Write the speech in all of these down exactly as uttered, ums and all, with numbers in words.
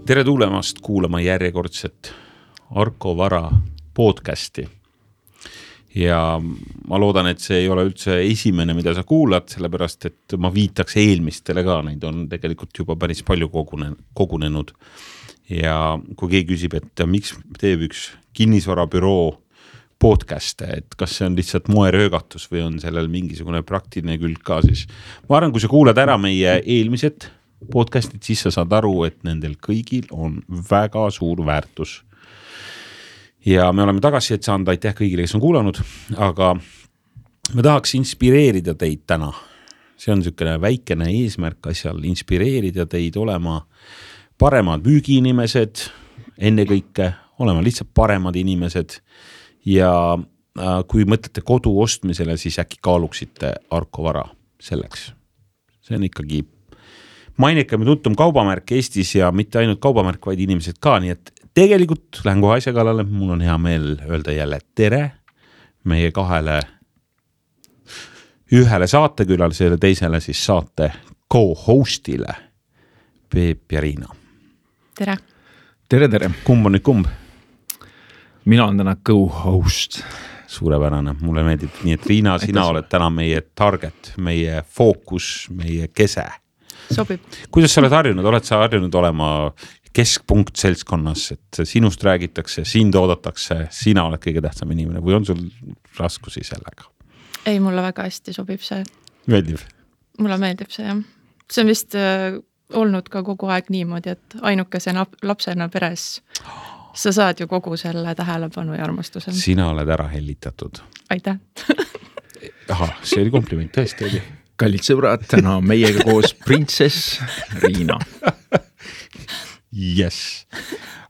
Tere tulemast kuulama järjekordset Arko Vara podcasti. Ja ma loodan, et see ei ole üldse esimene, mida sa kuulad, sellepärast, et ma viitaks eelmistele ka, neid on tegelikult juba päris palju kogunenud. Ja kui keegi küsib, et miks teeb üks kinnisvarabüroo podcaste, et kas see on lihtsalt moeröögatus või on sellel mingisugune praktiline külg ka, siis ma arvan, kui sa kuulad ära meie eelmised podcastid, siis sa saad aru, et nendel kõigil on väga suur väärtus. Ja me oleme tagasi, et saanud aitäh kõigile, kes on kuulanud, aga me tahaks inspireerida teid täna. See on niisugune väikene eesmärk asjal, inspireerida teid olema paremad müügiinimesed, enne kõike olema lihtsalt paremad inimesed ja kui mõtlete kodu ostmisele, siis äkki kaaluksite Arko Vara selleks. See on ikkagi mainekam ja tuntum kaubamärk Eestis ja mitte ainult kaubamärk, vaid inimesed ka, nii et tegelikult lähen kohe asja kallale, mul on hea meel öelda jälle tere meie kahele ühele saatekülalisele, teisele siis saate co-hostile Peep ja Riina. Tere. Tere, tere. Kumb on nüüd kumb? Mina olen täna co-host. Suurepärane, mulle meeldib nii, et Riina, sina oled täna meie target, meie fookus, meie kese. Sobib. Kuidas sa oled harjunud? Oled sa harjunud olema keskpunkt seltskonnas, et sinust räägitakse, sind oodatakse, sina oled kõige tähtsam inimene või on sul raskusi sellega? Ei, mulle väga hästi sobib see. Meeldib? Mulle meeldib see, jah. See on vist äh, olnud ka kogu aeg niimoodi, et ainukese lapsena peres sa saad ju kogu selle tähelepanu ja armastuse. Sina oled ära hellitatud. Aitäh. Aha, see oli kompliment, tõesti oli. Kallid sõbrad, täna meiega koos printsess Riina. Yes.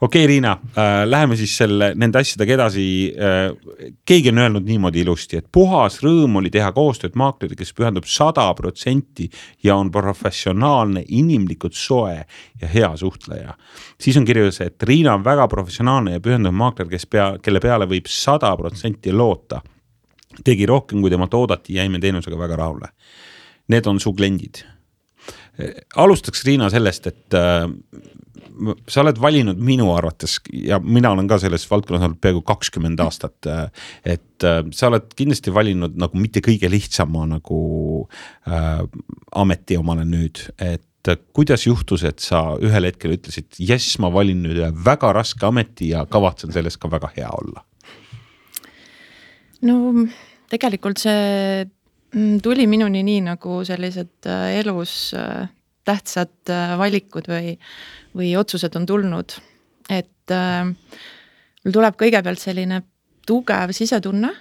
Okei, okay, Riina, äh, läheme siis selle, nende asjadega edasi. Äh, keegi on öelnud niimoodi ilusti, et puhas rõõm oli teha koostööd maakleri, kes pühendub sada protsenti ja on professionaalne, inimlikult soe ja hea suhtleja. Siis on kirjas, et Riina on väga professionaalne ja pühendub maakler, kes pea, kelle peale võib sada protsenti loota. Tegi rohkem, kui temalt oodati, jäime teenusega väga rahule. Need on su kliendid. Alustaks Riina sellest, et äh, sa oled valinud minu arvates ja mina olen ka selles valdkonnas olnud peaaegu kakskümmend aastat, et äh, sa oled kindlasti valinud nagu mitte kõige lihtsama nagu äh, ameti omale nüüd, et äh, kuidas juhtus, et sa ühel hetkel ütlesid, yes, ma valin nüüd väga raske ameti ja kavatsen selles ka väga hea olla? No tegelikult see tuli minuni nii nagu sellised elus tähtsad valikud või, või otsused on tulnud. Et mul tuleb kõigepealt selline tugev sisetunne,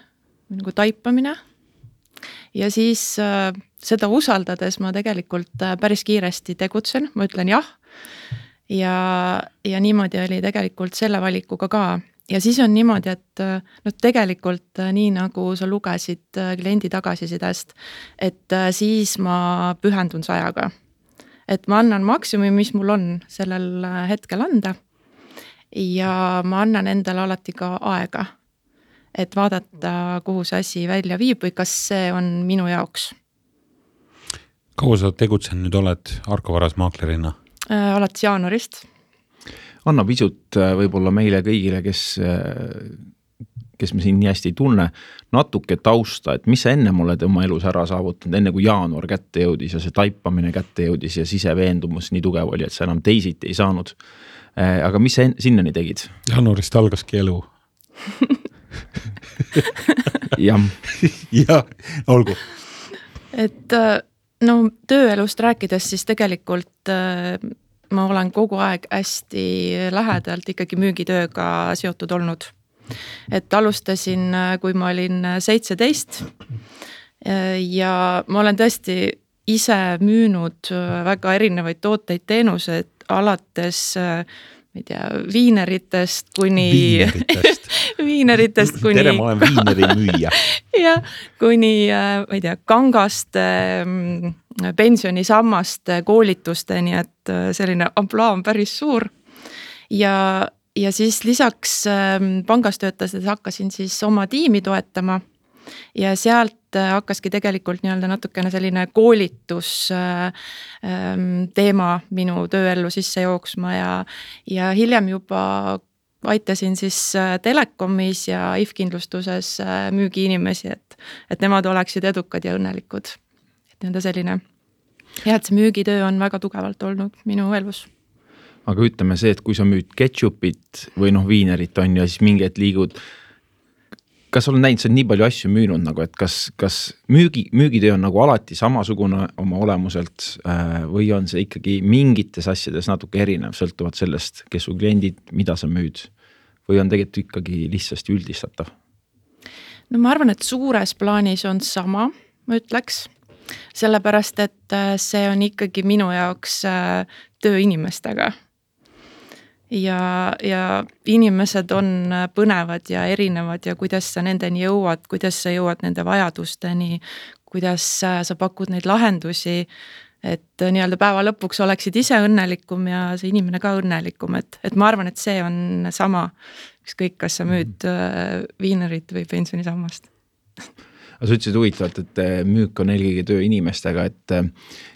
nagu taipamine ja siis seda usaldades ma tegelikult päris kiiresti tegutsen, ma ütlen jah ja, ja niimoodi oli tegelikult selle valikuga ka. Ja siis on niimoodi, et no tegelikult nii nagu sa lugesid kliendi tagasisidest, et siis ma pühendun sajaga. Et ma annan maksimumi, mis mul on sellel hetkel anda ja ma annan endale alati ka aega, et vaadata, kuhu see asi välja viib või kas see on minu jaoks. Kaua sa tegutsen nüüd oled Arko Varas maaklerina? Äh, alates jaanuarist. Anna pisut võib-olla meile kõigile, kes, kes me siin nii hästi ei tunne, natuke tausta, et mis sa enne oled oma elus ära saavutanud, enne kui jaanuar kätte jõudis ja see taipamine kätte jõudis ja siseveendumus nii tugev oli, et sa enam teisiti ei saanud. Aga mis sa sinnani tegid? Jaanuarist algaski elu. Jah. Ja, olgu. Et no tööelust rääkides siis tegelikult ma olen kogu aeg hästi lähedalt ikkagi müügitööga seotud olnud. Et alustasin, kui ma olin seitseteist ja ma olen tõesti ise müünud väga erinevaid tooteid, teenused alates ma ei tea, viineritest kuni viineritest, viineritest kuni tere, ma olen viineri müüja. Ja kuni ma ei tea, kangaste pensionisammaste koolitusteni, et selline ampla on päris suur ja, ja siis lisaks pangas töötades hakkasin siis oma tiimi toetama ja sealt hakkaski tegelikult nii-öelda natukene selline koolitus teema minu tööellu sisse jooksma ja, ja hiljem juba aitasin siis Telekomis ja I F kindlustuses müügiinimesi, et, et nemad oleksid edukad ja õnnelikud. Et nende selline, ja et see müügitöö on väga tugevalt olnud minu elus. Aga ütleme see, et kui sa müüd ketšupit või noh viinerit on ja siis mingi et liigud, kas olen näinud, sa on nii palju asju müünud nagu, et kas, kas müügi, müügitöö on nagu alati samasugune oma olemuselt või on see ikkagi mingites asjades natuke erinev, sõltuvad sellest, kes su kliendid, mida sa müüd või on tegelikult ikkagi lihtsasti üldistatav? No ma arvan, et suures plaanis on sama, ma ütleks, sellepärast, et see on ikkagi minu jaoks töö inimestega. Ja, ja inimesed on põnevad ja erinevad ja kuidas sa nendeni jõuad, kuidas sa jõuad nende vajadusteni, kuidas sa pakud neid lahendusi, et nii-öelda päeva lõpuks oleksid ise õnnelikum ja see inimene ka õnnelikum, et, et ma arvan, et see on sama, ükskõik kas sa müüd viinerit või pensionisammast. Aga sa ütlesid huvitavalt, et müük on eelkõige töö inimestega, et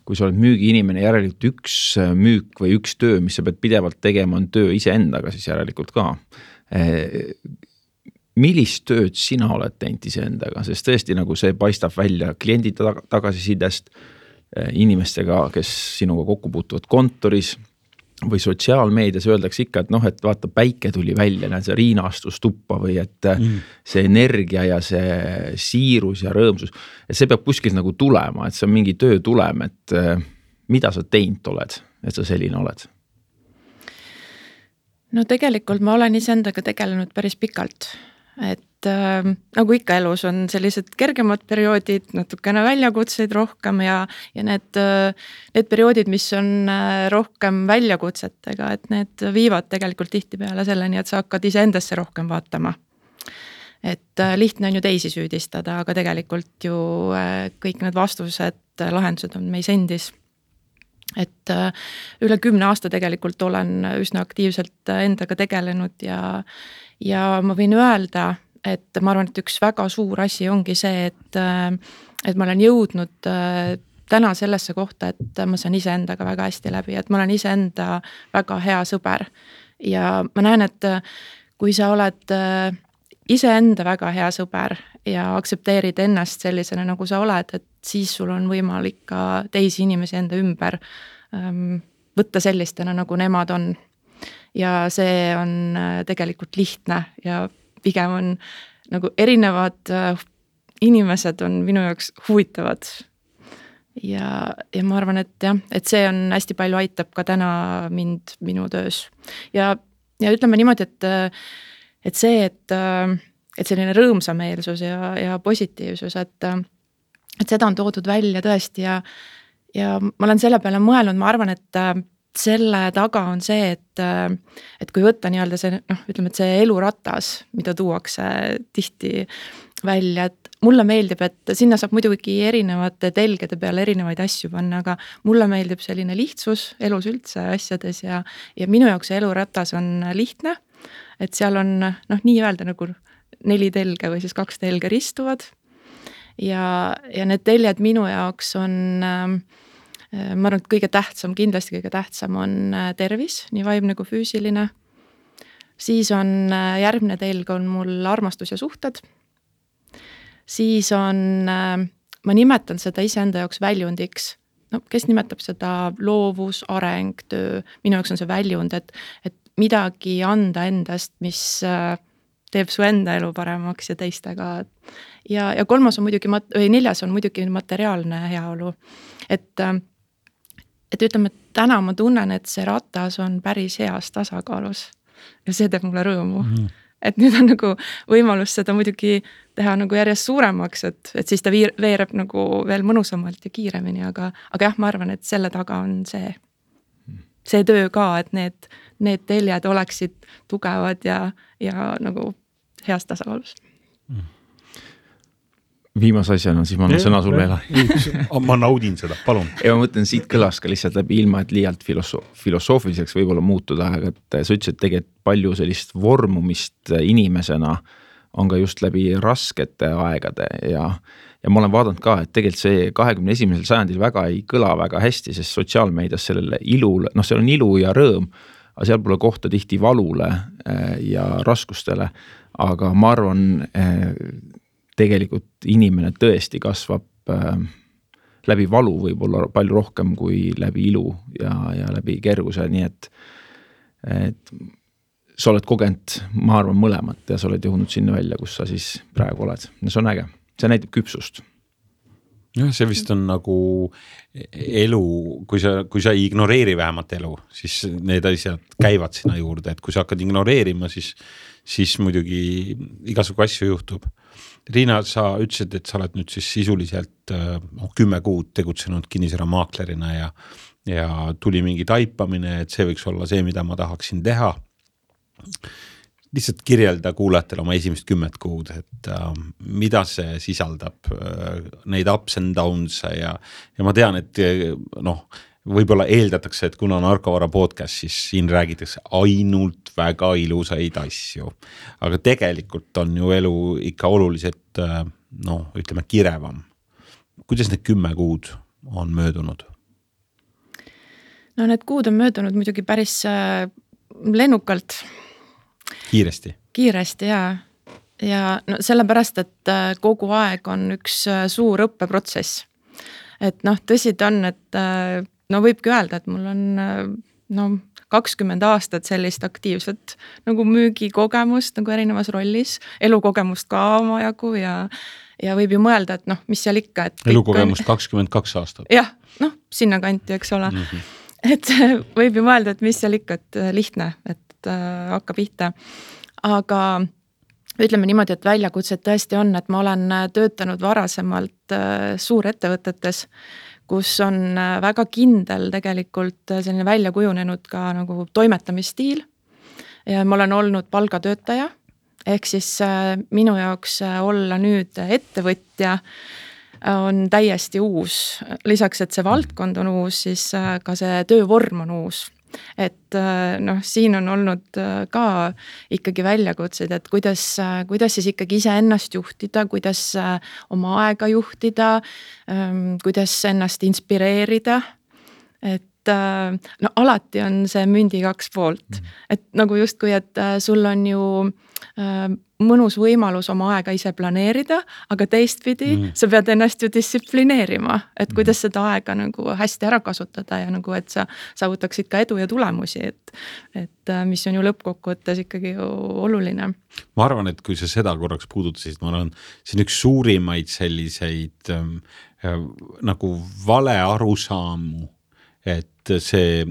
kui sa oled müügiinimene, järelikult üks müük või üks töö, mis sa pead pidevalt tegema, on töö iseendaga siis järelikult ka. Millist tööd sina oled teinud iseendaga, sest tõesti nagu see paistab välja kliendi tagasisidest, inimestega, kes sinuga kokku puutuvad kontoris või sotsiaalmeedias öeldakse ikka, et noh, et vaata päike tuli välja, näed see Riina astus tuppa või et mm. see energia ja see siirus ja rõõmsus, et see peab kuskilt nagu tulema, et see on mingi töö tulem, et mida sa teinud oled, et sa selline oled? No tegelikult ma olen iseendaga tegelenud päris pikalt, et äh, nagu ikka elus on sellised kergemad perioodid, natukene väljakutseid rohkem ja, ja need, need perioodid, mis on rohkem väljakutsetega, et need viivad tegelikult tihtipeale selleni, et sa hakkad iseendasse rohkem vaatama. Et äh, lihtne on ju teisi süüdistada, aga tegelikult ju äh, kõik need vastused, lahendused on meis endis. Et äh, üle kümne aasta tegelikult olen üsna aktiivselt endaga tegelenud ja Ja ma võin öelda, et ma arvan, et üks väga suur asi ongi see, et, et ma olen jõudnud täna sellesse kohta, et ma saan iseendaga väga hästi läbi, et ma olen iseenda väga hea sõber. Ja ma näen, et kui sa oled iseenda väga hea sõber ja aksepteerid ennast sellisena, nagu sa oled, et siis sul on võimalik ka teisi inimesi enda ümber võtta sellistena, nagu nemad on. Ja see on tegelikult lihtne ja pigem on nagu erinevad inimesed on minu jaoks huvitavad. Ja, ja ma arvan, et jah, et see on hästi palju aitab ka täna mind minu töös. Ja, ja ütleme niimoodi, et, et see, et, et selline rõõmsameelsus ja, ja positiivsus, et, et seda on toodud välja tõesti ja, ja ma olen selle peale mõelnud, ma arvan, et selle taga on see, et, et kui võtta nii-öelda see, noh, ütleme, et see eluratas, mida tuuakse tihti välja, et mulle meeldib, et sinna saab muidugi erinevate telgede peale erinevaid asju panna, aga mulle meeldib selline lihtsus elus üldse asjades ja, ja minu jaoks see eluratas on lihtne, et seal on noh, nii öelda nagu neli telge või siis kaks telge ristuvad ja, ja need teljed minu jaoks on ma arvan, et kõige tähtsam, kindlasti kõige tähtsam on tervis, nii vaimne kui füüsiline. Siis on järgmine telg on mul armastus ja suhted. Siis on, ma nimetan seda iseenda jaoks väljundiks. No, kes nimetab seda loovus, areng, töö. Minu jaoks on see väljund, et, et midagi anda endast, mis teeb su enda elu paremaks ja teistega. Ja, ja kolmas on muidugi, või neljas on muidugi materiaalne heaolu. Et Et ütleme, et täna ma tunnen, et see ratas on päris heas tasakaalus ja see teeb mulle rõõmu. Mm. Et nüüd on nagu võimalus seda muidugi teha nagu järjest suuremaks, et, et siis ta viir, veereb nagu veel mõnusamalt ja kiiremini, aga, aga jah, ma arvan, et selle taga on see, see töö ka, et need, need teljed oleksid tugevad ja, ja nagu heas tasakaalus. Mm. Viimase asjana, siis ma annan sõna sul veel. Ma naudin seda, palun. Ja ma mõtlen, siit kõlas ka lihtsalt läbi ilma, et liialt filoso- filosoofiliseks võib-olla muutuda, aga et sa ütlesid tegelikult palju sellist vormumist inimesena on ka just läbi raskete aegade ja, ja ma olen vaadanud ka, et tegelikult see kahekümne esimesel sajandil väga ei kõla väga hästi, sest sotsiaalmeedias sellele ilule, noh, seal on ilu ja rõõm, aga seal pole kohta tihti valule ja raskustele, aga ma arvan, tegelikult inimene tõesti kasvab läbi valu võib-olla palju rohkem kui läbi ilu ja, ja läbi kerguse, nii et, et sa oled kogenud, ma arvan, mõlemat ja sa oled jõudnud sinna välja, kus sa siis praegu oled. No see on äge. See näitab küpsust. Jah, see vist on nagu elu, kui sa, kui sa ei ignoreeri vähemalt elu, siis need asjad käivad sinna juurde, et kui sa hakkad ignoreerima, siis, siis muidugi igasugu asju juhtub. Riina, sa ütlesid, et sa oled nüüd siis sisuliselt oh, kümme kuud tegutsenud kinnisvara maaklerina ja, ja tuli mingi taipamine, et see võiks olla see, mida ma tahaksin teha. Lihtsalt kirjelda kuulajatele oma esimest kümmet kuud, et äh, mida see sisaldab, äh, neid ups and downs ja, ja ma tean, et noh, võib-olla eeldatakse, et kuna on Arkovara podcast, siis siin räägitakse ainult väga ilusaid asju, aga tegelikult on ju elu ikka oluliselt äh, noh, ütleme kirevam. Kuidas need kümme kuud on möödunud? No need kuud on möödunud muidugi päris äh, lennukalt. Kiiresti. Kiiresti, jaa. Ja no sellepärast, et kogu aeg on üks suur õppeprotsess. Et noh, tõsi ta on, et no võibki öelda, et mul on no, kakskümmend aastat sellist aktiivset nagu müügikogemust nagu erinevas rollis, elukogemust ka omajagu ja, ja võib ju mõelda, et noh, mis seal ikka. Et elukogemust on... kakskümmend kaks aastat. Jah, noh, sinna kanti, eks ole. Mm-hmm. Et võib ju mõelda, et mis seal ikka, et lihtne, et hakka pihta. Aga ütleme niimoodi, et väljakutsed tõesti on, et ma olen töötanud varasemalt suurettevõtetes, kus on väga kindel tegelikult selline välja kujunenud ka nagu toimetamisstiil. Ja ma olen olnud palgatöötaja, ehk siis minu jaoks olla nüüd ettevõtja on täiesti uus. Lisaks, et see valdkond on uus, siis ka see töövorm on uus. Et noh, siin on olnud ka ikkagi väljakutseid, et kuidas, kuidas siis ikkagi ise ennast juhtida, kuidas oma aega juhtida, kuidas ennast inspireerida, et no alati on see mündi kaks poolt, et nagu justkui, et sul on ju mõnus võimalus oma aega ise planeerida, aga teistpidi mm. sa pead ennast ju distsiplineerima, et kuidas seda aega nagu hästi ära kasutada ja nagu, et sa saavutaksid ka edu ja tulemusi, et, et mis on ju lõppkokkuvõttes ikkagi ju oluline. Ma arvan, et kui sa seda korraks puudutasid, ma arvan, see on üks suurimaid selliseid ähm, äh, nagu vale arusaamu, et see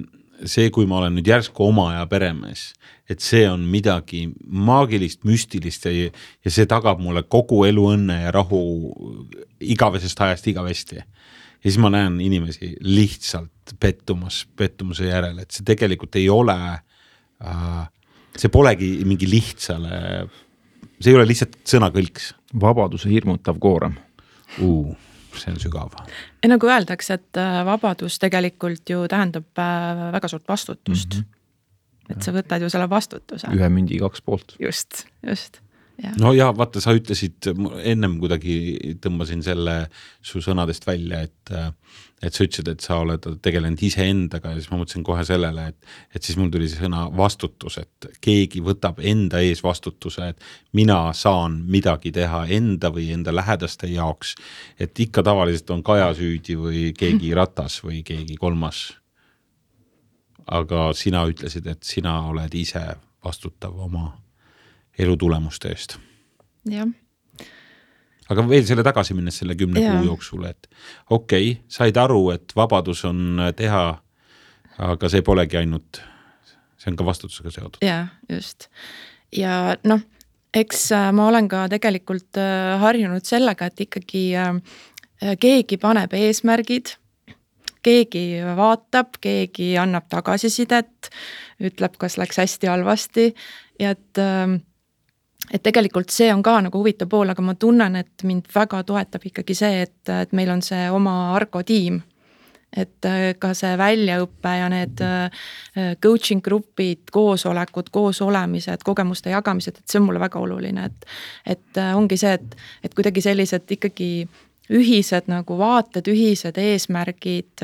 see, kui ma olen nüüd järsku oma ja peremees, et see on midagi maagilist, müstilist ja, ja see tagab mulle kogu elu õnne ja rahu igavesest ajast igavesti. Ja siis ma näen inimesi lihtsalt pettumas, pettumuse järel, et see tegelikult ei ole, äh, see polegi mingi lihtsale, see ei ole lihtsalt sõnakõlks. Vabaduse hirmutav koorem. Uh. See on sügav. Ja nagu öeldakse, et vabadus tegelikult ju tähendab väga suurt vastutust. Mm-hmm. Et sa võtad ju selle vastutuse. Ühe mündi kaks poolt. Just, just. Ja. No ja vaata, sa ütlesid, ennem kuidagi tõmbasin selle su sõnadest välja, et, et sa ütlesid, et sa oled tegelenud ise endaga ja siis ma mõtlesin kohe sellele, et, et siis mul tuli see sõna vastutus, et keegi võtab enda ees vastutuse, et mina saan midagi teha enda või enda lähedaste jaoks, et ikka tavaliselt on Kaja süüdi või keegi ratas või keegi kolmas. Aga sina ütlesid, et sina oled ise vastutav oma elu tulemuste eest. Ja. Aga veel selle tagasi minnes selle kümne ja. kuu jooksul, et okei, okay, said aru, et vabadus on teha, aga see polegi ainult, see on ka vastutusega seotud. Ja, just. Ja noh, eks ma olen ka tegelikult harjunud sellega, et ikkagi keegi paneb eesmärgid, keegi vaatab, keegi annab tagasisidet, ütleb, kas läks hästi halvasti ja et et tegelikult see on ka nagu huvitav pool, aga ma tunnen, et mind väga toetab ikkagi see, et, et meil on see oma Arko tiim et ka see väljaõppe ja need coaching grupid, koosolekud, koosolemised, kogemuste jagamised, et see on mulle väga oluline, et, et ongi see, et, et kuidagi sellised ikkagi ühised nagu vaated, ühised eesmärgid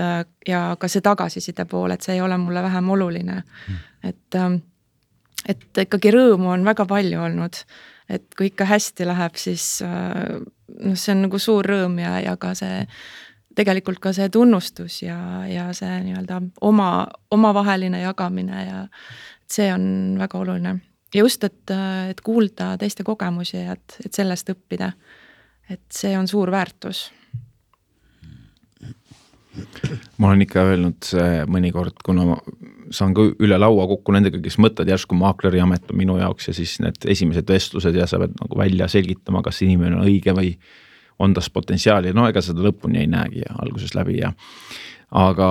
ja ka see tagasiside pool, et see ei ole mulle vähem oluline. Et, et ikkagi rõõmu on väga palju olnud, et kui ikka hästi läheb, siis no, see on nagu suur rõõm ja, ja ka see tegelikult ka see tunnustus ja, ja see nii-öelda oma, omavaheline jagamine ja see on väga oluline. Ja just, et, et kuulda teiste kogemusi ja et, et sellest õppida. Et see on suur väärtus. Ma olen ikka öelnud mõnikord, kuna ma saan ka üle laua kokku nendega, kes mõtled järsku maakleri amet on minu jaoks ja siis need esimesed vestlused ja sa pead nagu välja selgitama, kas inimene on õige või on tas potentsiaali. No ega seda lõpuni ei näegi ja alguses läbi ja aga,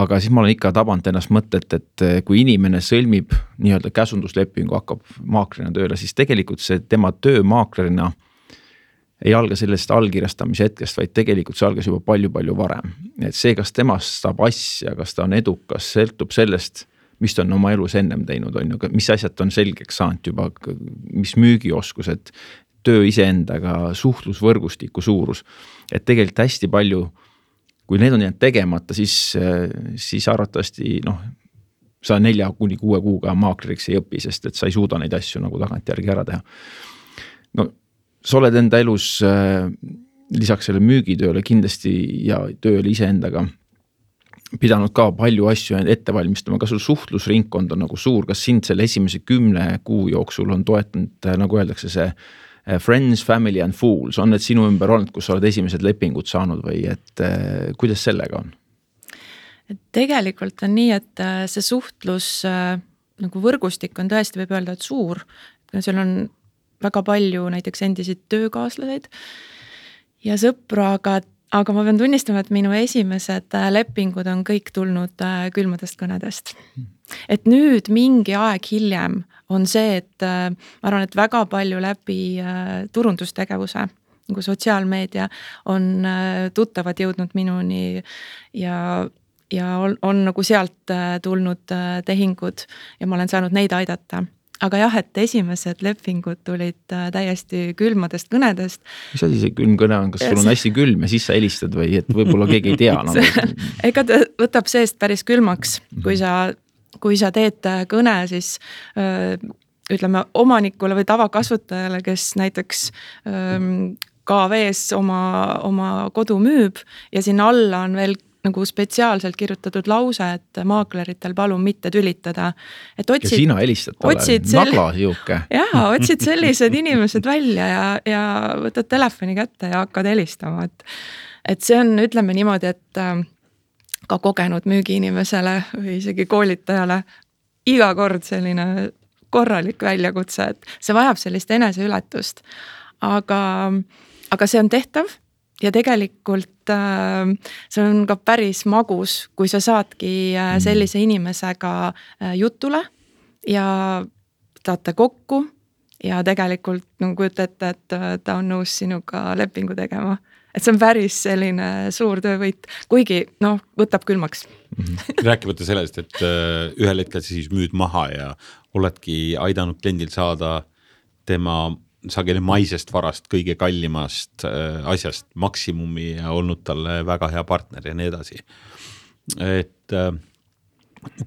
aga siis ma olen ikka tabanud ennast mõtet, et kui inimene sõlmib nii-öelda käsunduslepingu, hakkab maaklerina tööle, siis tegelikult see tema töö maaklerina ei alga sellest allkirjastamise hetkest, vaid tegelikult see algas juba palju-palju varem. Et see, kas temast saab asja, kas ta on edukas, sõltub sellest, mis ta on oma elus ennem teinud, on ju, mis asjad on selgeks saanud juba, mis müügioskused, töö iseendaga, suhtlusvõrgustiku suurus. Et tegelikult hästi palju, kui need on jäänud tegemata, siis, siis arvatavasti, noh, sa nelja kuni kuue kuuga maakleriks ei õpi, sest et sa ei suuda neid asju nagu tagantjärgi ära teha. No, sa oled enda elus äh, lisaks selle müügitööle kindlasti ja tööle iseendaga pidanud ka palju asju ette valmistama, kas sul suhtlusringkond on nagu suur, kas sind selle esimese kümne kuu jooksul on toetanud, nagu öeldakse see friends, family and fools, on need sinu ümber olnud, kus sa oled esimesed lepingud saanud või et äh, kuidas sellega on? Et tegelikult on nii, et see suhtlus äh, nagu võrgustik on tõesti võib öelda, et suur, seal on väga palju näiteks endisid töökaaslaseid ja sõpru, aga, aga ma pean tunnistama, et minu esimesed lepingud on kõik tulnud külmadest kõnedest. Et nüüd mingi aeg hiljem on see, et ma arvan, et väga palju läbi turundustegevuse, nagu sotsiaalmeedia on tuttavad jõudnud minuni ja ja on, on nagu sealt tulnud tehingud ja ma olen saanud neid aidata. Aga jah, et esimesed lepingud tulid täiesti külmadest kõnedest. Mis asi see külm kõne on? Kas sul on hästi külm ja siis sa helistad või et võib-olla keegi ei tea? Nagu... Ega ta võtab seest päris külmaks, kui sa, kui sa teed kõne, siis öö, ütleme omanikule või tavakasutajale, kes näiteks öö, K V-s oma, oma kodu müüb ja sinna alla on veel nagu spetsiaalselt kirjutatud lause, et maakleritel palun mitte tülitada. Et otsid, ja sina helistad talle, nagla juuke. Jaa, otsid sellised inimesed välja ja, ja võtad telefoni kätte ja hakkad helistama. Et, et see on, ütleme niimoodi, et ka kogenud müügiinimesele või isegi koolitajale iga kord selline korralik väljakutse, et see vajab sellist eneseületust. Aga, aga see on tehtav. Ja tegelikult äh, see on ka päris magus, kui sa saadki äh, sellise inimesega äh, jutule ja taate kokku ja tegelikult nagu kujutate, et äh, ta on nõus sinuga lepingu tegema. Et see on päris selline suur töövõit, kuigi noh, võtab külmaks. Rääkimata sellest, et äh, ühel hetkel siis müüd maha ja oledki aidanud kliendil saada tema sageli maisest varast, kõige kallimast äh, asjast maksimumi ja olnud talle väga hea partner ja nii edasi. Et äh,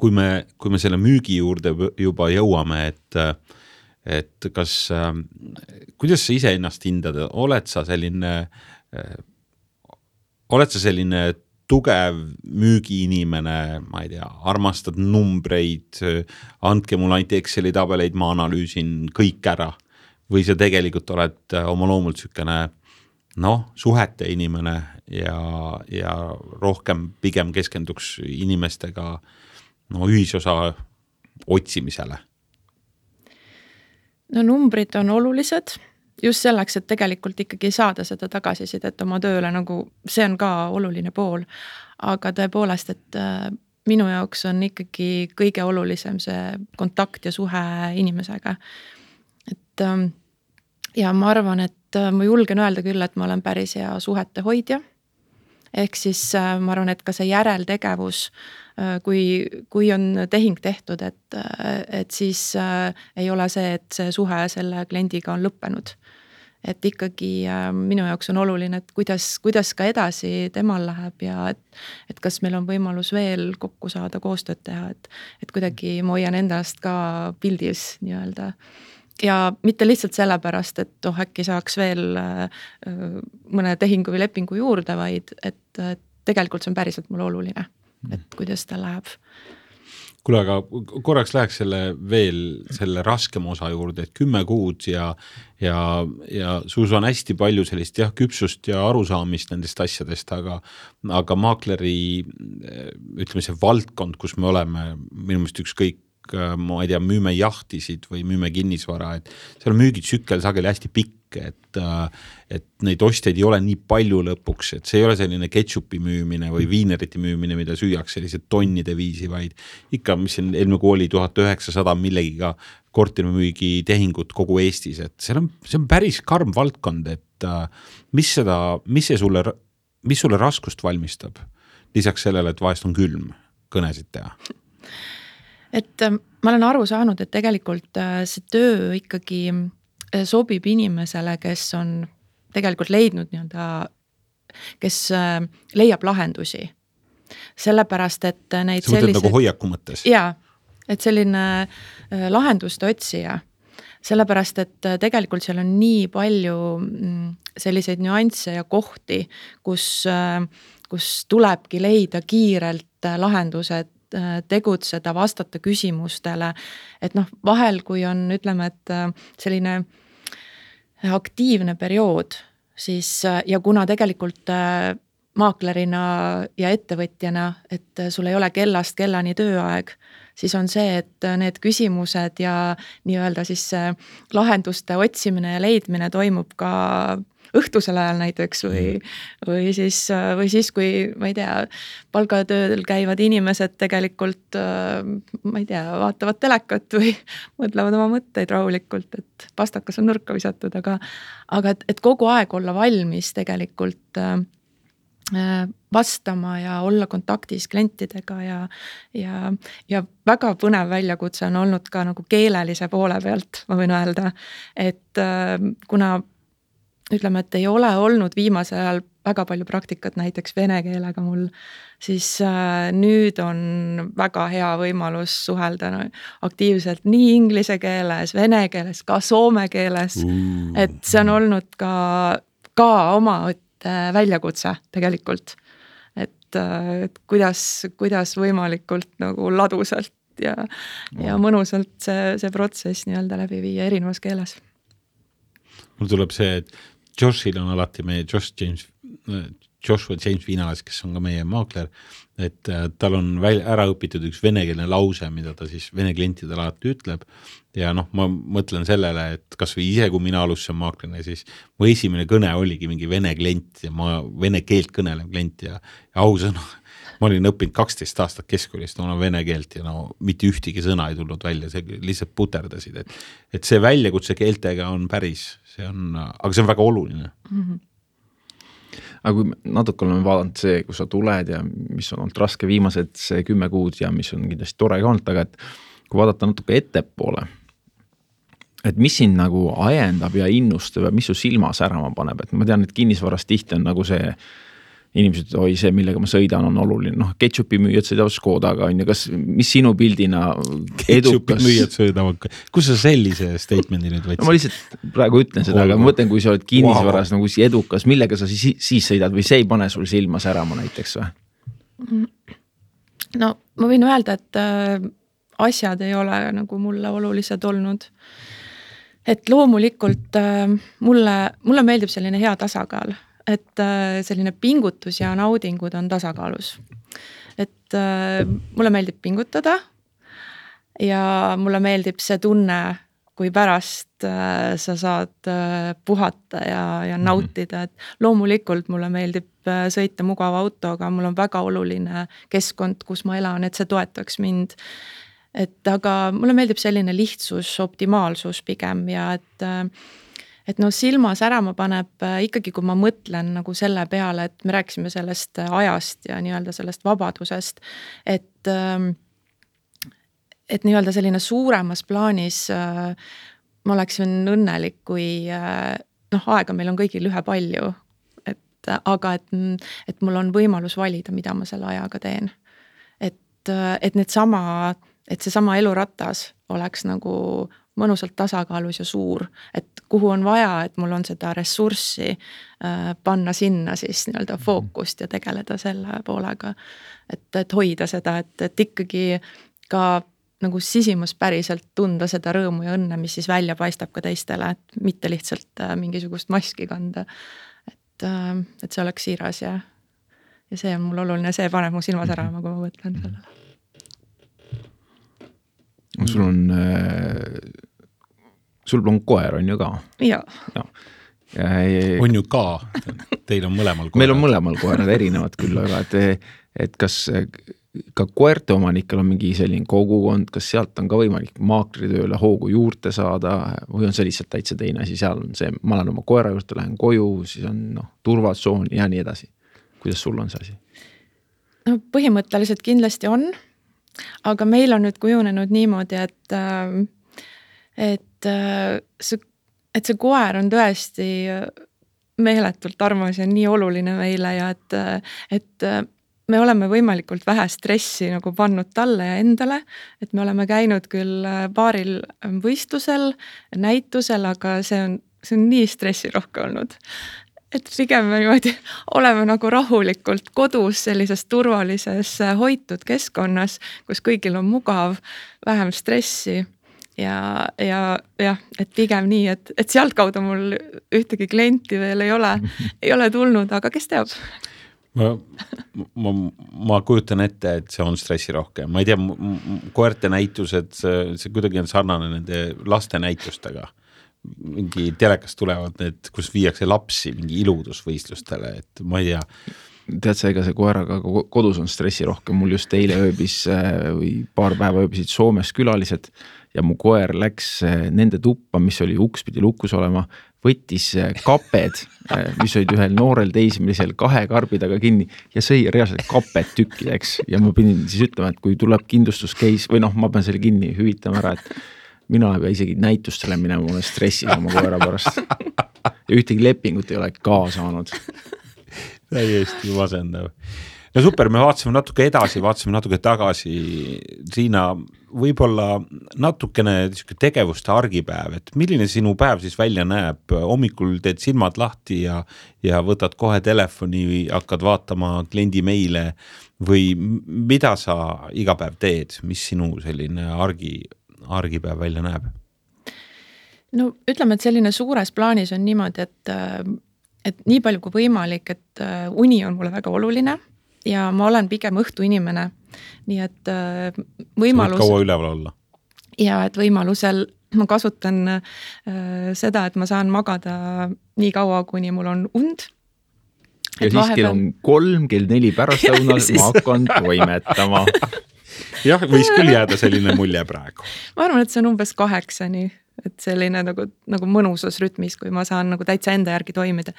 kui me, kui me selle müügi juurde juba jõuame, et, et kas, äh, kuidas sa ise ennast hindad, oled sa selline, äh, oled sa selline tugev müügiinimene, ma ei tea, armastad numbreid, andke mulle ainult Exceli tabeleid, ma analüüsin kõik ära. Või sa tegelikult oled oma loomult sükene, noh, suhete inimene ja, ja rohkem pigem keskenduks inimestega no, ühisosa otsimisele? No numbrid on olulised just selleks, et tegelikult ikkagi saada seda tagasisidet oma tööle, nagu see on ka oluline pool. Aga tõepoolest, et minu jaoks on ikkagi kõige olulisem see kontakt ja suhe inimesega. Et ja ma arvan, et ma julgen öelda küll, et ma olen päris hea suhete hoidja. ehk siis ma arvan, et ka see järeltegevus, kui, kui on tehing tehtud, et, et siis ei ole see, et see suhe selle kliendiga on lõppenud. Et ikkagi minu jaoks on oluline, et kuidas, kuidas ka edasi temal läheb ja et, et kas meil on võimalus veel kokku saada, koostööd teha, et, et kuidagi ma hoian endast ka pildis nii-öelda. Ja mitte lihtsalt sellepärast, et oh, äkki saaks veel mõne tehingu või lepingu juurde, vaid et, et tegelikult see on päriselt mulle oluline, et kuidas ta läheb. Kuule, aga korraks läheks selle veel selle raskem osa juurde, et kümme kuud ja, ja, ja sus on hästi palju sellist jah, küpsust ja arusaamist nendest asjadest, aga, aga maakleri, ütleme see valdkond, kus me oleme, minu meelest ükskõik, ma ei tea, müüme jahtisid või müüme kinnisvara, et seal on müügitsükkel sageli hästi pikk, et, et neid ostjaid ei ole nii palju lõpuks, et see ei ole selline ketšupi müümine või viinerite müümine, mida süüaks sellised tonnide viisi, vaid ikka, mis siin eelmine kui oli tuhat üheksasada millegiga korterimüügi tehingut kogu Eestis, et see on, see on päris karm valdkond, et mis seda, mis see sulle, mis sulle raskust valmistab? Lisaks sellele, et vahest on külm kõnesid teha. Et ma olen aru saanud, et tegelikult see töö ikkagi sobib inimesele, kes on tegelikult leidnud nii-öelda, kes leiab lahendusi. Sellepärast, et neid see sellised... nagu hoiaku mõttes? Jaa, et selline lahenduste otsija. Sellepärast, et tegelikult seal on nii palju selliseid nüansse ja kohti, kus, kus tulebki leida kiirelt lahendused, tegutseda, vastata küsimustele, et noh, vahel kui on, ütleme, et selline aktiivne periood, siis ja kuna tegelikult maaklerina ja ettevõtjana, et sul ei ole kellast kellani tööaeg, siis on see, et need küsimused ja nii-öelda siis lahenduste otsimine ja leidmine toimub ka õhtusel ajal näiteks või, või, siis, või siis, kui ma ei tea, palgatööl käivad inimesed tegelikult, ma ei tea, vaatavad telekat või mõtlevad oma mõtteid rahulikult, et pastakas on nurka visatud, aga, aga et, et kogu aeg olla valmis tegelikult vastama ja olla kontaktis klientidega ja, ja, ja väga põnev väljakutse on olnud ka nagu keelelise poole pealt, ma võin öelda, et kuna ütleme, et ei ole olnud viimasel ajal väga palju praktikat näiteks vene keelega mul, siis nüüd on väga hea võimalus suhelda aktiivselt nii inglise keeles, vene keeles, ka soome keeles, mm. et see on olnud ka, ka oma väljakutse tegelikult, et, et kuidas, kuidas võimalikult nagu ladusalt ja, mm. ja mõnusalt see, see protsess nii-öelda läbi viia erinevas keeles. Mul tuleb see, et Joshil on alati meie Josh James, Joshua James Viinalas, kes on ka meie maakler, et tal on välja, ära õpitud üks venekeelne lause, mida ta siis vene klientidele alati ütleb ja noh, ma mõtlen sellele, et kas või ise, kui mina alustasin maaklerina, siis mu esimene kõne oligi mingi vene klient ja ma vene keelt kõnelev klient ja, ja ausõna, ma olin õppinud kaksteist aastat keskkoolist, ma olen vene keelt ja no mitte ühtegi sõna ei tulnud välja, see lihtsalt puterdasid, et, et see väljakutse keeltega on päris, see on, aga see on väga oluline. Mm-hmm. Aga kui natuke oleme vaadanud see, kus sa tuled ja mis on olnud raske viimased see kümme kuud ja mis on kindlasti tore ka olnud, aga et kui vaadata natuke ettepoole, et mis sind nagu ajendab ja innustab ja mis su silma särama paneb, et ma tean, et kinnisvarast tihti on nagu see inimesed, oi see, millega ma sõidan, on oluline. Noh, ketšupi müüjad sõidavad Škodaga, on ju, kas, mis sinu pildina edukas? Ketšupi müüjad sõidavad, kus sa sellise statemendi nüüd võtsid? No, ma lihtsalt praegu ütlen seda, aga ma mõtlen, kui sa oled kinnisvaras wow. nagu edukas, millega sa siis, siis sõidad või see ei pane sul silma särama näiteks või? No, ma võin öelda, et äh, asjad ei ole nagu mulle olulised olnud. Et loomulikult äh, mulle, mulle meeldib selline hea tasakaal. Et selline pingutus ja naudingud on tasakaalus. Et mulle meeldib pingutada ja mulle meeldib see tunne, kui pärast sa saad puhata ja, ja nautida. Et loomulikult mulle meeldib sõita mugava autoga, mul on väga oluline keskkond, kus ma elan, et see toetaks mind. Et aga mulle meeldib selline lihtsus, optimaalsus pigem ja et et no silma särama paneb ikkagi, kui ma mõtlen nagu selle peale, et me rääkisime sellest ajast ja nii-öelda sellest vabadusest, et et nii-öelda selline suuremas plaanis ma oleksin õnnelik, kui noh, aega meil on kõigil ühepalju, et aga et, et mul on võimalus valida, mida ma selle ajaga teen. Et, et need sama, et see sama eluratas oleks nagu mõnusalt tasakaalus ja suur, et kuhu on vaja, et mul on seda ressurssi äh, panna sinna siis nii-öelda fookust ja tegeleda selle poolega, et, et hoida seda, et, et ikkagi ka nagu sisimus päriselt tunda seda rõõmu ja õnne, mis siis välja paistab ka teistele, et mitte lihtsalt äh, mingisugust maski kanda, et, äh, et see oleks siiras ja, ja see on mul oluline, see paneb mu silma särama, kui ma mõtlen sellele. Sul on, sul on koer, on ju ka? Jaa. Ja. On ju ka, teil on mõlemal koerad. Meil on mõlemal koerad erinevad küll, aga et, et kas ka koerte omanikel on mingi selline kogukond, kas sealt on ka võimalik maakritööle hoogu juurde saada või on see lihtsalt täitsa teine asi, seal on see, ma olen oma koera juurde, lähen koju, siis on no, turvatsoon ja nii edasi. Kuidas sul on see asi? No, põhimõtteliselt kindlasti on. Aga meil on nüüd kujunenud niimoodi, et, et, see, et see koer on tõesti meeletult armas ja nii oluline meile ja et, et me oleme võimalikult vähe stressi nagu pannud talle ja endale, et me oleme käinud küll paaril võistlusel, näitusel, aga see on, see on nii stressirohke olnud. Et pigem me niimoodi oleme nagu rahulikult kodus sellises turvalises hoitud keskkonnas, kus kõigil on mugav, vähem stressi ja, ja, ja et pigem nii, et, et sealt kaudu mul ühtegi klienti veel ei ole, ei ole tulnud, aga kes teab? Ma, ma, ma kujutan ette, et see on stressirohke. Ma ei tea, koerte näitused, see, see kuidagi on sarnane nende laste näitustega. Mingi telekast tulevad need, kus viiakse lapsi mingi iludusvõistlustele, et ma ei tea. Tead sa, ega see koeraga kodus on stressi rohkem, mul just eile ööbis või paar päeva ööbisid Soomes külalised ja mu koer läks nende tuppa, mis oli uks pidi lukus olema, võttis kaped, mis olid ühel noorel teismelisel kahe karbi taga kinni ja sõi reaalselt kaped tükkideks ja ma pidin siis ütlema, et kui tuleb kindlustuskeis või noh, ma pean selle kinni hüvitama ära, et mina ei pea isegi näitustele minema, ma olen stressis oma koera pärast. Ja ühtegi lepingut ei ole ka saanud. Täiesti masendav. No super, me vaatasime natuke edasi, vaatasime natuke tagasi. Riina, võib-olla natukene tegevuste argipäev, et milline sinu päev siis välja näeb? Hommikul teed silmad lahti ja, ja võtad kohe telefoni või hakkad vaatama kliendi meile või mida sa iga päev teed? Mis sinu selline argi argipäev välja näeb? No ütleme, et selline suures plaanis on niimoodi, et, et nii palju kui võimalik, et uni on mulle väga oluline ja ma olen pigem õhtu inimene. Nii et võimalus... kaua üleval olla? Ja et võimalusel ma kasutan äh, seda, et ma saan magada nii kaua, kuni mul on und. Ja et siis vahepeal... kell on kolm, kell neli pärast õunal, siis... ma hakkan toimetama. Jah, võis küll jääda selline mulje praegu. Ma arvan, et see on umbes kaheksani, et selline nagu, nagu mõnusas rütmis, kui ma saan nagu täitsa enda järgi toimida.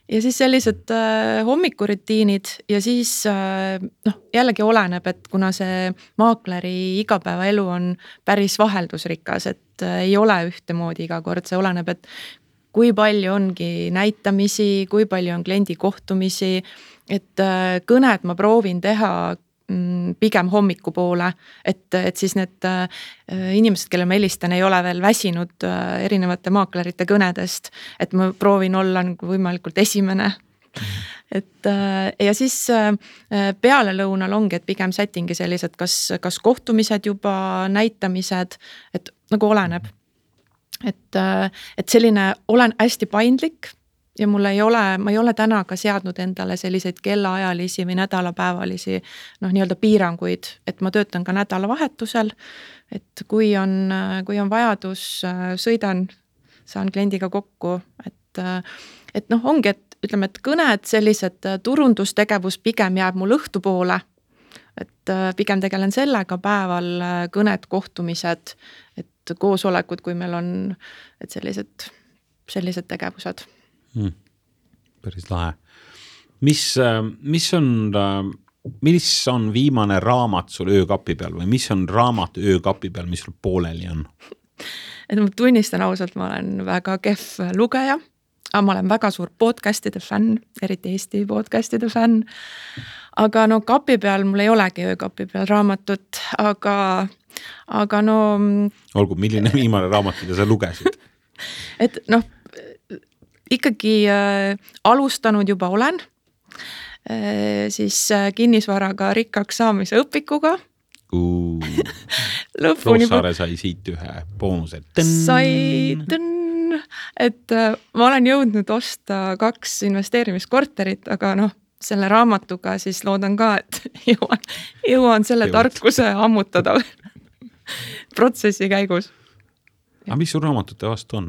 Ja siis sellised äh, hommikurutiinid ja siis äh, noh, jällegi oleneb, et kuna see maakleri igapäevaelu on päris vaheldusrikas, et äh, ei ole ühtemoodi iga kord, see oleneb, et kui palju ongi näitamisi, kui palju on kliendi kohtumisi, et äh, kõned ma proovin teha pigem hommiku poole, et, et siis need äh, inimesed, kelle ma helistan, ei ole veel väsinud äh, erinevate maaklerite kõnedest, et ma proovin olla nagu võimalikult esimene. Et äh, ja siis äh, peale lõunal ongi, et pigem settingi sellised, kas, kas kohtumised juba, näitamised, et nagu oleneb. Et, äh, et selline olen hästi paindlik ja mul ei ole, ma ei ole täna ka seadnud endale selliseid kellaajalisi või nädalapäevalisi noh, nii-öelda piiranguid, et ma töötan ka nädalavahetusel, et kui on, kui on vajadus, sõidan, saan kliendiga kokku, et, et noh, ongi, et ütleme, et kõned, sellised turundustegevus pigem jääb mul õhtu poole, et pigem tegelen sellega päeval, kõned, kohtumised, et koosolekud, kui meil on, et sellised sellised tegevused hmm.. Päris lahe. Mis, mis on, mis on viimane raamat sul öökapi peal või mis on raamat öökapi peal, mis sul pooleli on? Et ma tunnistan ausalt, ma olen väga kehv lugeja, aga ma olen väga suur podcastide fänn, eriti Eesti podcastide fänn. Aga no kapi peal mul ei olegi öökapi peal raamatut, aga, aga no... Olgu, milline viimane raamat, mida sa lugesid? Et noh, ikkagi äh, alustanud juba olen, äh, siis äh, kinnisvaraga rikkaks saamise õpikuga. Roosaare sai siit ühe boonuse. Sai tõnn, et äh, ma olen jõudnud osta kaks investeerimiskorterit, aga noh, selle raamatuga siis loodan ka, et jõuan, jõuan selle Jõud. tarkuse ammutada protsessi käigus. Aga mis sul raamatute vastu on?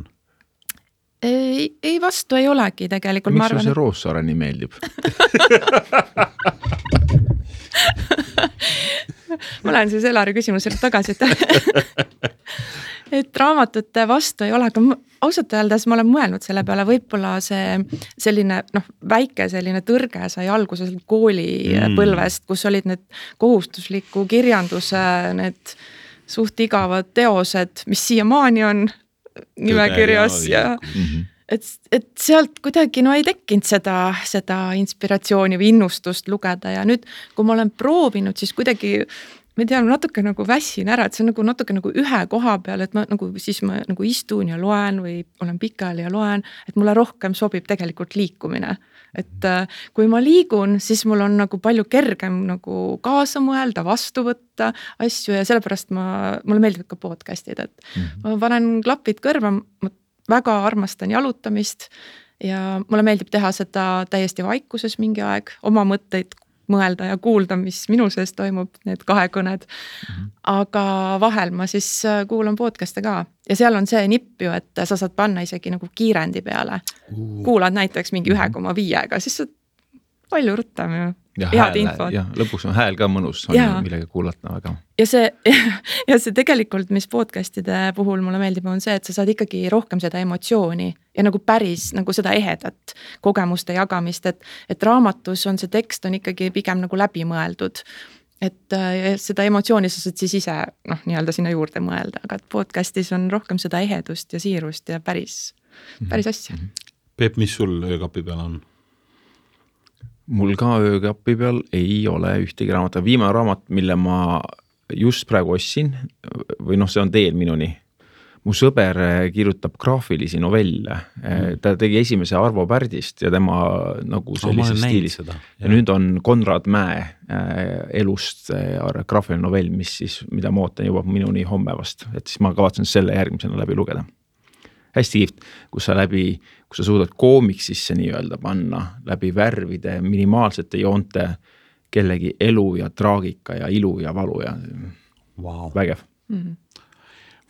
Ei, ei vastu ei olegi tegelikult. Miks sul see Roossaare nii meeldib? ma lähen siis Elari küsimusele tagasi, et, et raamatute vastu ei ole, aga ausalt öeldes ma olen mõelnud selle peale, võib-olla see selline noh, väike selline tõrge sai alguses kooli mm. põlvest, kus olid need kohustusliku kirjanduse, need suht igavad teosed, mis siiamaani on nimekirjas ja, ja mm-hmm. et, et sealt kuidagi no ei tekkinud seda, seda inspiratsiooni või innustust lugeda ja nüüd, kui ma olen proovinud, siis kuidagi ma tean, natuke nagu väsin ära, et see on nagu natuke nagu ühe koha peal, et ma nagu siis ma nagu istun ja loen või olen pikali ja loen, et mulle rohkem sobib tegelikult liikumine. Et kui ma liigun, siis mul on nagu palju kergem nagu kaasa mõelda, vastu võtta asju ja sellepärast ma, mulle meeldib ka podcastid, et mm-hmm. ma panen klapid kõrva, ma väga armastan jalutamist ja mulle meeldib teha seda täiesti vaikuses mingi aeg, oma mõtteid mõelda ja kuulda, mis minu sees toimub, need kahekõned. Mm-hmm. Aga vahel ma siis kuulan podcast'e ka. Ja seal on see nipp ju, et sa saad panna isegi nagu kiirendi peale. Uh. Kuulad näiteks mingi ühe koma viiega, siis saad palju rutam ju. Ja, hääl, ja lõpuks on hääl ka mõnus, on ja. millega kuulata väga. Ja see, ja see tegelikult, mis podcastide puhul mulle meeldib, on see, et sa saad ikkagi rohkem seda emotsiooni ja nagu päris nagu seda ehedat kogemuste jagamist, et, et raamatus on see tekst on ikkagi pigem nagu läbi mõeldud. Et seda emotsiooni sa saad siis ise noh, nii-öelda sinna juurde mõelda, aga podcastis on rohkem seda ehedust ja siirust ja päris, päris asja. Peep, mis sul öökapi peal on? Mul ka öökapi peal ei ole ühtegi raamat. Viimane raamat, mille ma just praegu ostsin, või noh, see on teel minuni. Mu sõber kirjutab graafilisi novelle. Mm. Ta tegi esimese Arvo Pärdist ja tema nagu sellise no, stiilis. Ja. ja nüüd on Konrad Mäe elust graafiline novell, mis siis, mida ma ootan juba minuni homme vast. Et siis ma kavatsen selle järgmisena läbi lugeda. Hästi kiht, kus sa läbi, kus sa suudad koomiksisse nii öelda panna läbi värvide, minimaalsete joonte kellegi elu ja traagika ja ilu ja valu ja wow. vägev. Mm-hmm.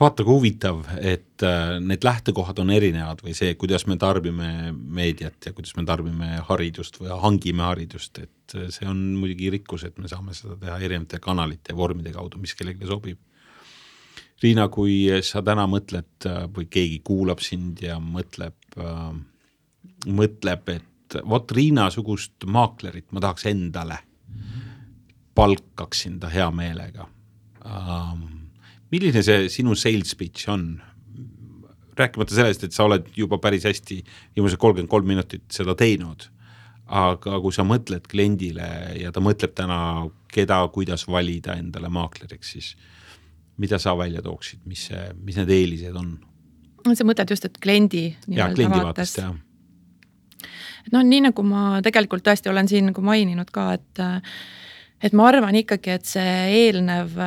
Vaata kui huvitav, et need lähtekohad on erinevad või see, kuidas me tarbime meediat ja kuidas me tarbime haridust või hangime haridust, et see on muidugi rikkus, et me saame seda teha erinevate kanalite ja vormide kaudu, mis kellelegi sobib. Riina, kui sa täna mõtled või keegi kuulab sind ja mõtleb, äh, mõtleb, et vot Riina sugust maaklerit ma tahaks endale, palkaksin ta hea meelega. Äh, milline see sinu sales pitch on? Rääkimata sellest, et sa oled juba päris hästi viimase kolmkümmend kolm minutit seda teinud, aga kui sa mõtled kliendile ja ta mõtleb täna, keda, kuidas valida endale maakleriks, siis mida sa välja tooksid, mis, see, mis need eelised on? See mõtled just, et kliendi ja, kliendi vaatest, jah. No nii nagu ma tegelikult tõesti olen siin nagu maininud ka, et, et ma arvan ikkagi, et see eelnev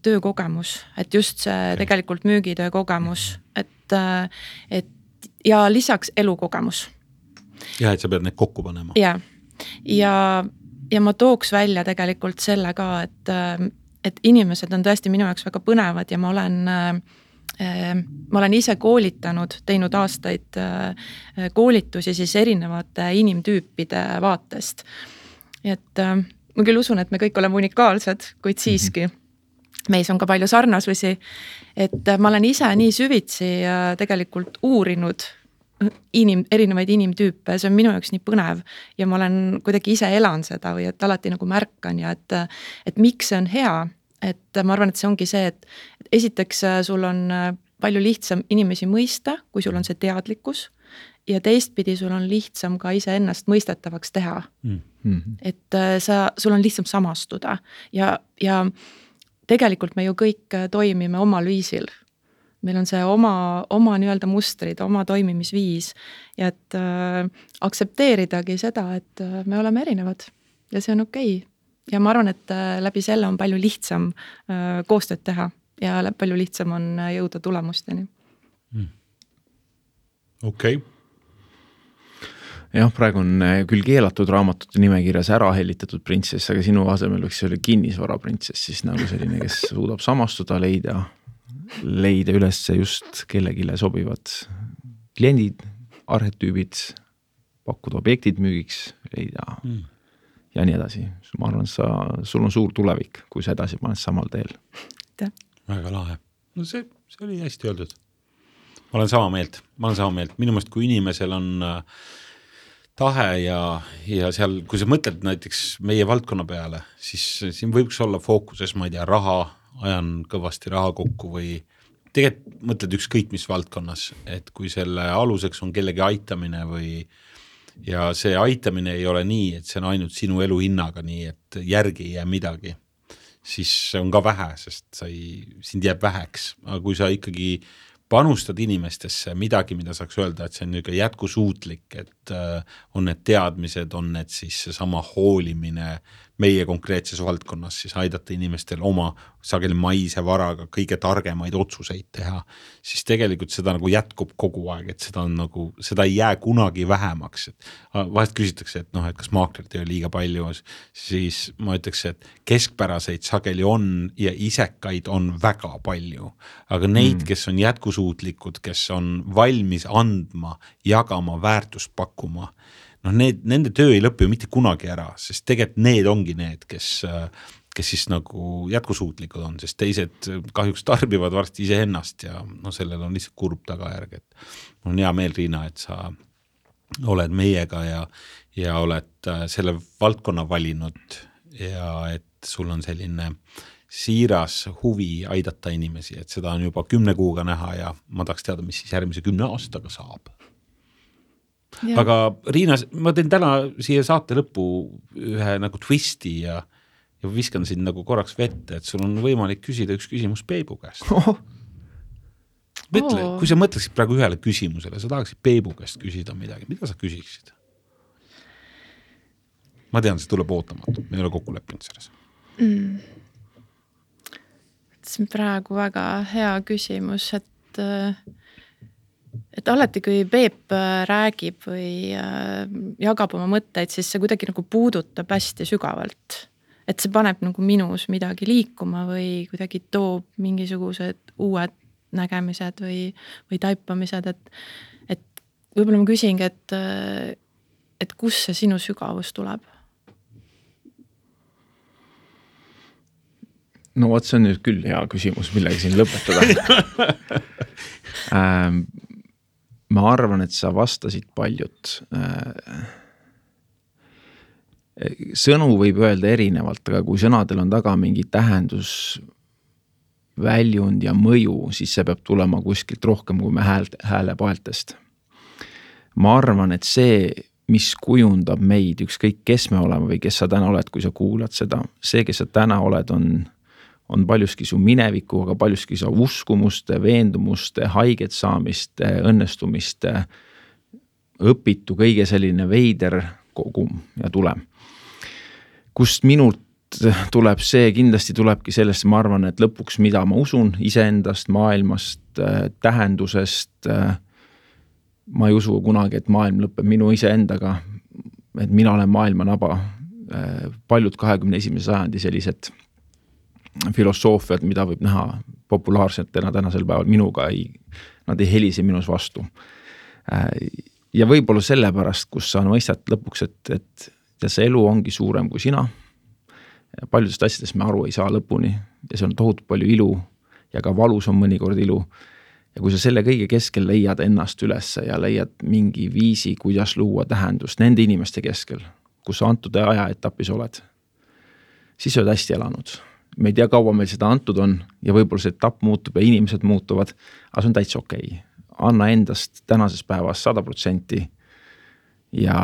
töökogemus, et just see okay. tegelikult müügitöö kogemus, et, et ja lisaks elukogemus. Ja, et sa pead need kokku panema. Ja, ja, ja ma tooks välja tegelikult selle ka, et et inimesed on tõesti minu jaoks väga põnevad ja ma olen, äh, ma olen ise koolitanud, teinud aastaid äh, koolitusi siis erinevate inimtüüpide vaatest. Et äh, ma küll usun, et me kõik oleme unikaalsed, kuid siiski mm-hmm. meis on ka palju sarnasusi, et äh, ma olen ise nii süvitsi äh, tegelikult uurinud inim, erinevaid inimtüüpe, see on minu jaoks nii põnev ja ma olen kuidagi ise elan seda või et alati nagu märkan ja et, et miks see on hea, et ma arvan, et see ongi see, et, et esiteks sul on palju lihtsam inimesi mõista, kui sul on see teadlikkus ja teistpidi sul on lihtsam ka ise ennast mõistetavaks teha. Mm. Et sa, sul on lihtsam samastuda ja, ja tegelikult me ju kõik toimime omal viisil. Meil on see oma, oma nii-öelda mustrid, oma toimimisviis ja et äh, aktsepteeridagi seda, et me oleme erinevad ja see on okei. Ja ma arvan, et äh, läbi selle on palju lihtsam äh, koostööd teha ja palju lihtsam on jõuda tulemusteni. Mm. Okei. Okay. Jah, praegu on küll keelatud raamatute nimekirjas ära hellitatud printsess, aga sinu asemel võiks see oli kinnisvara printsess, siis nagu selline, kes suudab samastuda, leida, leida üles just kellegile sobivad kliendid, arhetüübid, pakkuda objektid müügiks, leida mm. ja nii edasi. Ma arvan, sa, sul on suur tulevik, kui sa edasi paned samal teel. Väga lahe. No see, see oli hästi öeldud. Ma olen sama meelt, ma olen sama meelt. Minu mõist, kui inimesel on tahe ja, ja seal, kui sa mõtled näiteks meie valdkonna peale, siis siin võiks olla fookuses, ma ei tea, raha, ajan kõvasti raha kokku või tegelikult mõtled ükskõik mis valdkonnas, et kui selle aluseks on kellegi aitamine või ja see aitamine ei ole nii, et see on ainult sinu elu hinnaga nii, et järgi ei jää midagi, siis on ka vähe, sest sa ei, sind jääb väheks, aga kui sa ikkagi panustad inimestesse midagi, mida saaks öelda, et see on niisugune jätkusuutlik, et on need teadmised, on need siis sama hoolimine meie konkreetses valdkonnas, siis aidata inimestel oma sageli maise varaga kõige targemaid otsuseid teha, siis tegelikult seda nagu jätkub kogu aeg, et seda on nagu, seda ei jää kunagi vähemaks. Et vahest küsitakse, et noh, et kas maaklerit ei ole liiga palju, siis ma ütleks, et keskpäraseid sageli on ja isekaid on väga palju, aga neid, mm. kes on jätkusuutlikud, kes on valmis andma, jagama, väärtust pakkuma, noh, need, nende töö ei lõpi ju mitte kunagi ära, sest tegelikult need ongi need, kes, kes siis nagu jätkusuutlikud on, sest teised kahjuks tarbivad varsti ise ennast ja no sellel on lihtsalt kurb tagajärg, et on hea meel, Riina, et sa oled meiega ja, ja oled selle valdkonna valinud ja et sul on selline siiras huvi aidata inimesi, et seda on juba kümne kuuga näha ja ma tahaks teada, mis siis järgmise kümne aastaga saab. Ja. Aga Riina, ma teen täna siia saate lõppu ühe nagu twisti ja, ja viskan sind nagu korraks vette, et sul on võimalik küsida üks küsimus Peebu käest. Oh. Mõtle, oh. Kui sa mõtleksid praegu ühele küsimusele, sa tahaksid Peebu käest küsida midagi, mida sa küsiksid? Ma tean, see tuleb ootamatu, me ei ole kokku leppinud selles. Mm. See on praegu väga hea küsimus, et et alati, kui Peep räägib või jagab oma mõtteid, siis see kuidagi nagu puudutab hästi sügavalt. Et see paneb nagu minus midagi liikuma või kuidagi toob mingisugused uued nägemised või, või taipamised, et, et võib-olla ma küsingi, et, et kus see sinu sügavus tuleb? No vot, see on nüüd küll hea küsimus, millega siin lõpetada. ähm, ma arvan, et sa vastasid paljud. Sõnu võib öelda erinevalt, aga kui sõnadel on taga mingi tähendus, väljund ja mõju, siis see peab tulema kuskilt rohkem kui me hääle, hääle paeltest. Ma arvan, et see, mis kujundab meid, ükskõik kes me oleme või kes sa täna oled, kui sa kuulad seda, see, kes sa täna oled, on on paljuski su mineviku, aga paljuski su uskumuste, veendumuste, haiget saamiste, õnnestumiste, õpitu, kõige selline veider kogum ja tulem. Kust minult tuleb see, kindlasti tulebki sellest, ma arvan, et lõpuks, mida ma usun iseendast, maailmast, tähendusest, ma ei usu kunagi, et maailm lõpeb minu iseendaga, et mina olen maailma naba. Paljud kahekümne esimese sajandi sellised filosoofiad, mida võib näha populaarsetena tänasel päeval, minuga ei, nad ei helise minus vastu. Ja võib-olla sellepärast, kus sa mõistad lõpuks, et, et ja see elu ongi suurem kui sina. Paljudest asjadest me aru ei saa lõpuni ja see on tohutu palju ilu ja ka valus on mõnikord ilu. ja kui sa selle kõige keskel leiad ennast ülesse ja leiad mingi viisi, kuidas luua tähendust nende inimeste keskel, kus sa antud ajaetapis oled, siis oled hästi elanud. Me ei tea, kaua meil seda antud on ja võib-olla see etapp muutub ja inimesed muutuvad, aga see on täitsa okei. Anna endast tänases päevas sada protsenti ja,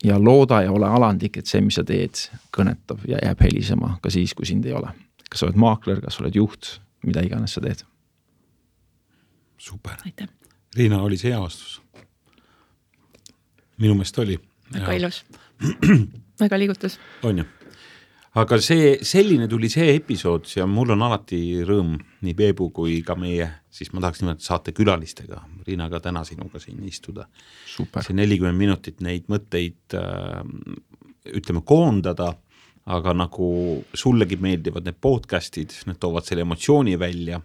ja looda ja ole alandlik, et see, mis sa teed, kõnetab ja jääb helisema ka siis, kui sind ei ole. Kas sa oled maakler, kas sa oled juht, mida iganes sa teed. Super. Aitäh. Riina, oli see hea vastus? Minu meelest oli. Väga ilus. Väga liigutus. On ju. Aga see, selline tuli see episood ja mul on alati rõõm nii Peebu kui ka meie, siis ma tahaks nimelt saate külalistega, Riina ka täna sinuga siin istuda. Super. See nelikümmend minutit neid mõtteid äh, ütleme koondada, aga nagu sullegi meeldivad need podcastid, need toovad selle emotsiooni välja.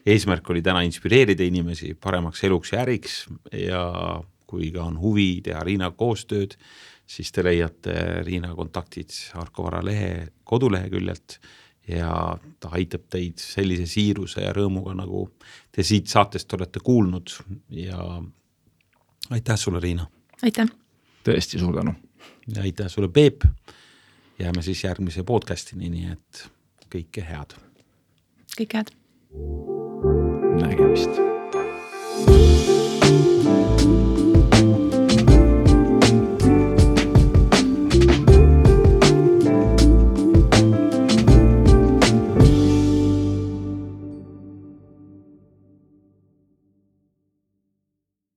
Eesmärk oli täna inspireerida inimesi paremaks eluks ja äriks ja kui ka on huvi teha Riina koostööd, siis te leiate Riina kontaktid Arko Vara lehe koduleheküljelt ja ta aitab teid sellise siiruse ja rõõmuga, nagu te siit saatest olete kuulnud ja aitäh sulle, Riina. Aitäh. Tõesti suur tänu. Ja aitäh sulle, Peep. Jääme siis järgmise podcastini, nii et kõike head. Kõik head. Nägemist.